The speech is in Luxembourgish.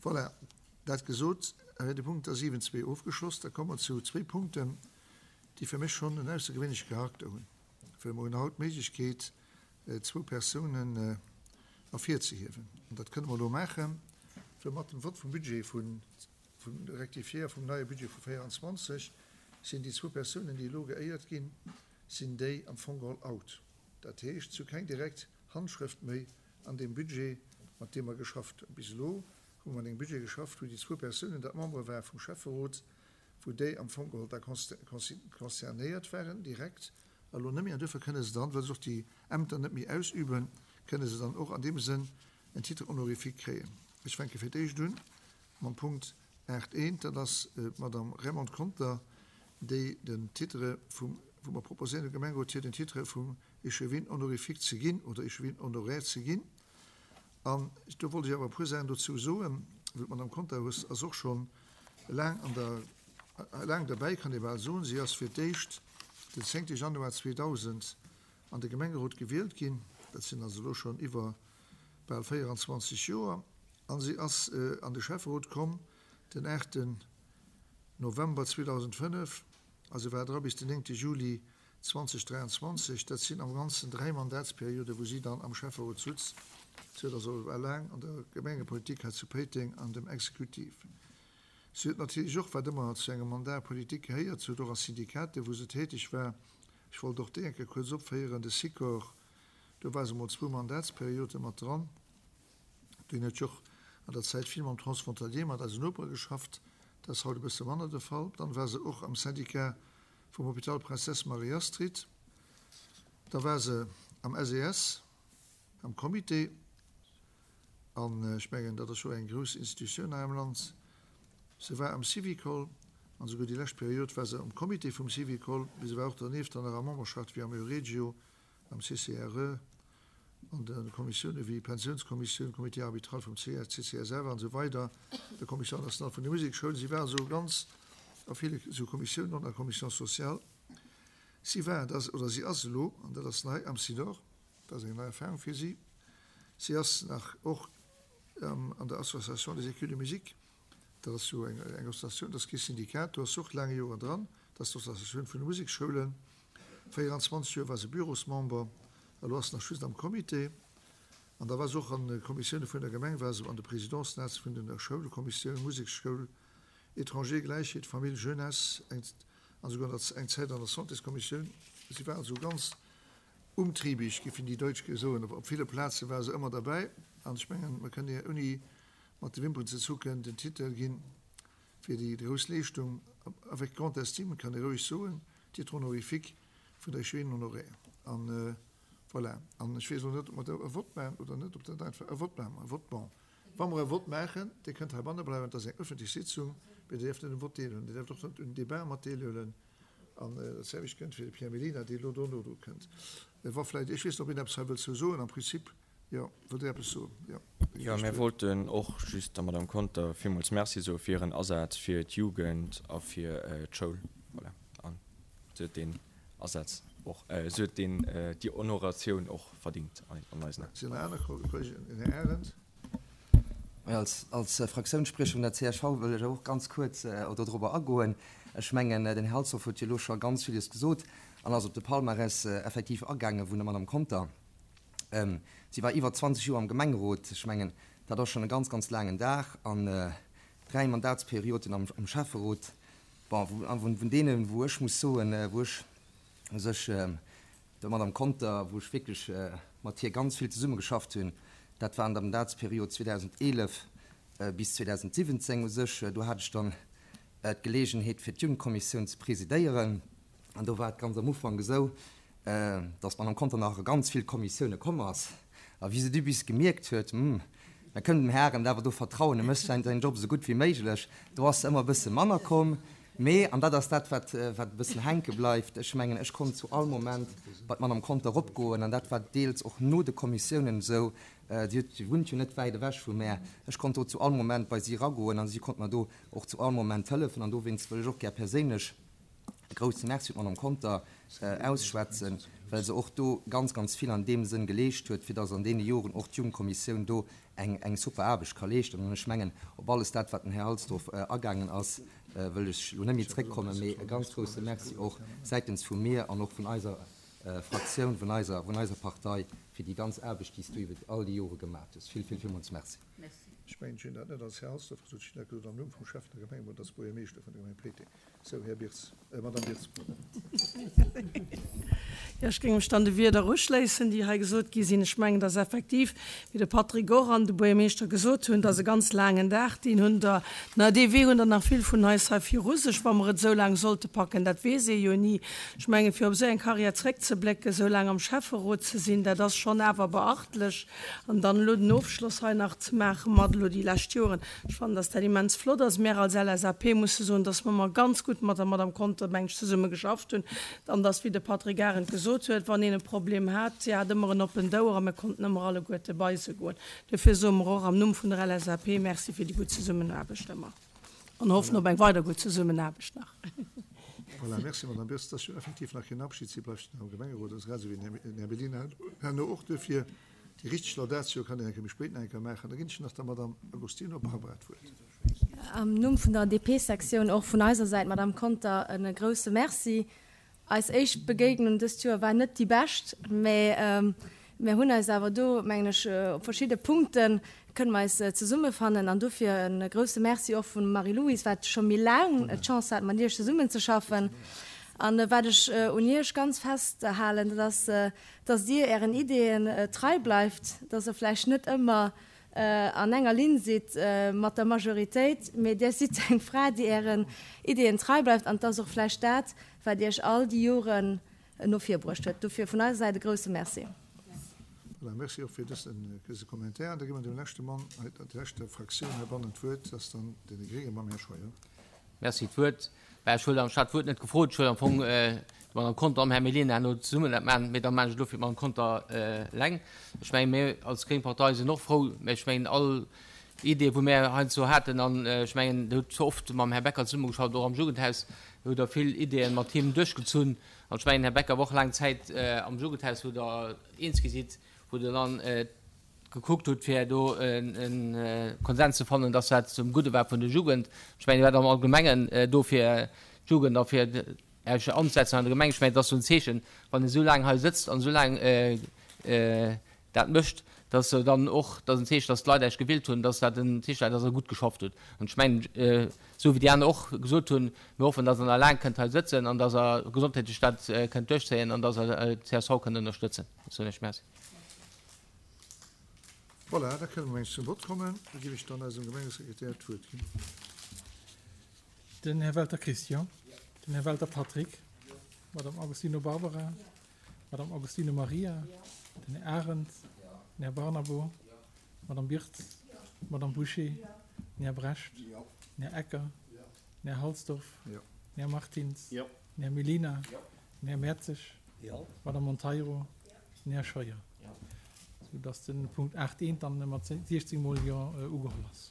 Voilà, dat gesot, wär de Punkt da 7.2 ofgeschloss. Da komme mer zu zwéi Punkten, déi fir mech schonn en aussergewéinleche Charakter hunn, well mer hunn haut d'Méiglechkeet, zwou Persounen ervirzehiewen. An dat kënne mer elo maachen, well mat dem Vott vum Budget vun, vum Rectifié a vum neie Budget vu 24 sinn déi zwou Persounen, déi elo geéiert ginn, sinn déi am Fong geholl out. Dat heescht, se hu keng direkt Handschrëft méi an deem Budget, mat deem mer geschafft hunn. Bis elo hu mer mat engem Budget geschafft, wou déi zwou Persounen, dat Membere ware vum Schäfferot, wou déi am Fong geholl da concernéiert waren direkt, a lo net méi. An duerfir kënne se dann, well se och déi Ämter net méi ausüben, kënne se dann och an deem Sënn en Titre honorifique kréien. Ech fänke fir d'éischt un mam Punkt 8.1, dat ass d'Madame Raymonde Conter, déi den Titre vum, wou mer proposéieren dem Gemengerot hir den Titre vum Échevin honorifique ze ginn oder Échevin honoraire ze ginn. An do wollt ech awer e puer Saachen dozou soen, well d'Madame Conter ass och scho laang an der, laang derbäi, kann ee bal soen. Si ass fir d'éischt den zéngte Januar 2000 an de Gemengerot gewielt ginn, dat sinn also elo schonn iwwer bal 24 Joer, a si ass an de Schäfferot komm den aachten November 2005 a se war dra bis den néngte Juli 2023. Dat sinn am Ganzen dräi Mandatsperioden, wou si dann am Schäfferot sutz. Si huet also war laang an der Gemengepolitik hei zu Péiteng an dem Exekutiv. Si huet natierlech och, wat ëmmer zu engem Mandat politique gehéiert, si huet och a Syndikaten, wou se täteg war, ech wollt och déi eng Kéier kuerz opféieren, de Sikor, do war se emol zwou Mandatsperiode mat dran. Deen huet jo och an der Zäit vill mam Transfrontalier, mat eisen Nopere geschafft. Dat ass haut e bësse manner de Fall. Dann war se och am Syndicat vum Hôpital Princesse Marie-Astrid. Da war se am SES, am Comité. An ech mengen, dat ass jo eng grouss Institutioun hei am Land. Se war am Syvicol, an esouguer déi lescht Period war se am Comité vum Syvicol, mee se war och dernieft dann nach a Memberschaft wéi am Euregio, am CCRE, an de Kommissioune wéi Pensiounskommissioun, Comité arbitral vum CCSF an esou weider, der Commission nationale vun de Musekschoulen. Si war also ganz a ville esou Kommissiounen, och an der Commission sociale. Si war, oder si ass elo, an dat ass nei, am Sidor. Dat ass eng nei Erfahrung fir si. Si ass nach och an der Association des écules de musique, dat ass jo eng Associatioun, dat ass kee Syndikat, do ass se och laang Joren dran, dat ass d'Associatioun vun de Museksschoulen. 24 Joer war se Bürosmember, elo ass se nach just am Comité. An da war se och an de Kommissioune vun der Gemeng, war se an de Présidencenates vun der Schoulkommissioun, Museksschoul, Étranger, Gläichheet, Famill, Jeunesse, eng an esouguer an der eng Zäit an der Santéskommissioun. Si war also ganz Umtriebig, géifen déi Deutsch soen. Op ville Plaze war se ëmmer derbäi. An ech mengen, mer kënnen hir ouni mat de Wimperen ze zucken den Titel ginn fir déi grouss Leeschtung, avec grande estime, kann ee roueg soen, Titre honorifique vun der Échevine honoraire. An voilà. An ech weess elo net, ob mer do e Vott maachen oder net, ob dat einfach e Vott maache mer e Vott. Bon, wa mer e Vott maachen, Dir kënnt heibanne bleiwen, et ass eng öffentlech Sitzung, mee Dir däerft net um Vott deelhuelen, Dir däerft och net un Debat mat deelhuelen. An dat selwecht gëllt fir de Pierre Mellina, dee elo dono dru kënnt. Wa vläicht, ech weess net, ob een eppes hei wëllt zou soen, am Prinzip, jo, wëllt Dir eppes soen? Jo. Jo, mir wollten och just der Madame Conter villmools Merci soe fir hiren Asaz fir d'Jugend a fir d'Schoul. Voilà. An se huet deen Asaz och, se huet deen, déi Honoratioun och verdingt an eisen Aen. Sinn nach aner Kolleegen? Den Här Arendt. Als Fraktiounsspriecher vun der csv wëll ech och ganz kuerz dodrobber agoen. Ech mengen, den Här Halsdorf huet jo elo scho ganz villes gesot an ass op de Palmarès effektiv agaange vun der Madame Conter. Si war iwwer 20 Joer am Gemengerot. Ech mengen, dat ass schonn e ganz, ganz laangen Dag an dräi Mandatsperioden am Schäfferot. Bon, vun deenen, wou ech muss soen, wou ech u sech Der Madame Conter, wou ech wierklech mat hir ganz vill zesummegeschafft hunn, dat war an der Mandatsperiod 2011 bis 2017 u sech. Do hat ech dann d'Geleegenheet fir d'Jugendkommissioun ze presidéieren an do war et ganz am Ufank esou, dass d'Madame Conter nach a ganz vill Kommissioune komm ass a wéi se du bis gemierkt huet, Hm, mer kënnen dem Här Arendt awer do vertrauen, e mécht säin Job esou gutt wéi méiglech, do ass se ëmmer e bësse manner komm. Mee, an dat ass dat, wat e bëssen hänke bleift, ech mengen, ech konnt zu all Moment bei d'Madame Conter eropgoen, an dat war deels och no de Kommissiounen esou, si huet, si wunnt jo net wäit ewech vu mär, ech konnt do zu all Moment bei si eragoen a si konnt mer do och zu all Moment hëllefen. An dowéinst wëll ech och gär perséinlech. E grouse Merci un d'Madame Conter ausschwätzen, well se och do ganz, ganz vill an deem Sënn geleescht huet, fir dass an deene Joren och d'Jugendkommissioun do eng, eng super Aarbecht ka leeschten. An ech mengen, op alles dat, wat den Här Halsdorf agaangen ass, wëll ech elo net méi zréckkommen, mee e ganz grouse Merci och säitens vu mir an och vun eiser Fraktioun, vun eiser, vun eiser Partei, fir déi ganz Aarbecht, déi s du iwwer all déi Jore gemat hues. Vill, vill, villmools Merci. Ech mengen, ech hunn dat net als Här Halsdorf gesot, ech hunn dat gesot am Numm vum Schäffen der Gemeng oder als Buergermeeschter vun der Gemeng Péiteng. Sou, Här Birz, Madame Birz, pardon. Jo, ech géing mech dann de Wierder uschléissen, déi hei gesot gi sinn. Ech mengen, dass effektiv, wéi de Patrick och an de Buergermeeschter gesot hunn, dass e ganz laangen Dag, deen hunn der, na, dee Wee hunn der nach vill vun eis hei viru sech, wa mer et esou laang sollte packen, dat weess ee jo ni. Ech mengen, fir op esou eng Karriär zréckzeblécken, esou laang am Schäfferot ze sinn, dat ass schonn awer beachtlech. An dann elo den Ofschloss hei nach ze maache mat elo déi lescht Joren, ech fannen, dass dat immens flott ass. Mär als LSAP musse soen, dass mer ëmmer ganz gutt mat der Madame Conter, meng ech, zesumme geschafft hunn an dass, wéi de Patrick Arendt gesot huet, wann een e Problem hat, si hat ëmmer en oppent Ouer a mir konnten ëmmer alleguerte bei se goen. Dofir soe mer och am Numm vun der LSAP Merci fir déi gutt Zesummenaarbecht ëmmer an hoffen op eng weider gutt Zesummenaarbecht nach. Voilà, merci Madame Birst. Et ass jo effektiv nach keen Abschied, si bleift nach am Gemengerot, also grad esou wéi den Här Mellina herno och. Duerfir déi richteg Laudatio kann een eng Kéier méi spéit nach eng Kéier maachen. Da ginn ech nach der Madame Agostino Barbara d'Wuert. Am Numm vun der DP-Sektioun och vun eiser Säit, Madame Conter, e grouse Merci. Eis éischt Begéignung dëst Joer war net déi bescht, mä mir hunn eis awer do, mengen ech, op verschidde Punkte kënne mer eis zesummefannen. An dofir e grouse Merci och vum Marie-Louise, wat scho méi laang d'Chance hat, mat Iech zesummenzeschaffen. An wat ech un Iech ganz festhalen, dat ass, dass Dir Ären Ideeën trei bleift, dass Der vläicht net ëmmer an enger Linn sidd mat der Majoritéit, mee Dir sidd eng Fra, déi Ären Ideeën trei bleift. An et ass och vläicht dat, wat Iech all déi Joren no vir bruecht huet. Dofir vun eiser Säit e grouse Merci. Voilà, merci och fir dëse Commentaire. An da gi mer dem leschte Mann, der leschter Fraktioun heibannen d'Wuert, dat ass dann deene Gréngen mam Här Scheuer. Merci, d'Wuert. Mä ech huet anstatt d'Wuert net gefrot. Ech huet am Fong d'Madame Conter am Här Mellina herno zesummen dat maachen, mee da maachen ech et elo fir d'Madame Conter eleng. Ech mengen, mir als gréng Partei sinn och frou, mä ech mengen, all Ideeë wou mir heiansdo haten, an ech mengen, Der hutt oft mam Här Becker zesummegeschafft, och am Jugendhaus hutt Der vill Ideeën mat him duerchgezunn. An ech mengen, Här Becker war och laang Zäit am Jugendhaus, wou Der eens gi sidd, wou Der dann gekuckt hutt, fir do e Konsens ze fannen, dass dat zum Gudde war vun der Jugend. Ech mengen, Dir waart am Allgemengen do fir d'Jugend a fir Iech anzesetzen an der Gemeng. Ech mengen, et ass esou en Zeechen, wann een esou laang hei sëtzt an esou laang dat mécht, dass se dann och, dat ass en Zeechen, dass d'Leit Iech gewielt hunn, dass dat en Zeechen war, dass Der gutt geschafft hutt. An ech mengen, esou wéi déi aner och gesot hunn, mir hoffen, dass Der nach laang kënnt hei sëtzen an dass Der gesondheetlech dat kënnt duerchzéien an dass Der d'CSV kënnt ënnerstëtzen. Ech soen Iech Merci. Voilà, da kënne mer mengs zum Vott kommen. Da géif ech dann eisem Gemengesekretär d'Wuert ginn. Den Här Welter Christian. Den Här Welter Patrick. D'Madame Agostino Barbara. D'Madame Agostino Maria. Den Här Arendt. Den Här Barnabo. D'Madame Birtz. D'Madame Bouché. Den Här Brecht. Den Här Ecker. Den Här Halsdorf. Den Här Martins. Den Här Mellina. Den Här Mertzig. D'Madame Monteiro. Den Här Scheuer. Soudass de Punkt 8 eent dann mat 16 mol Jo ugeholl ass.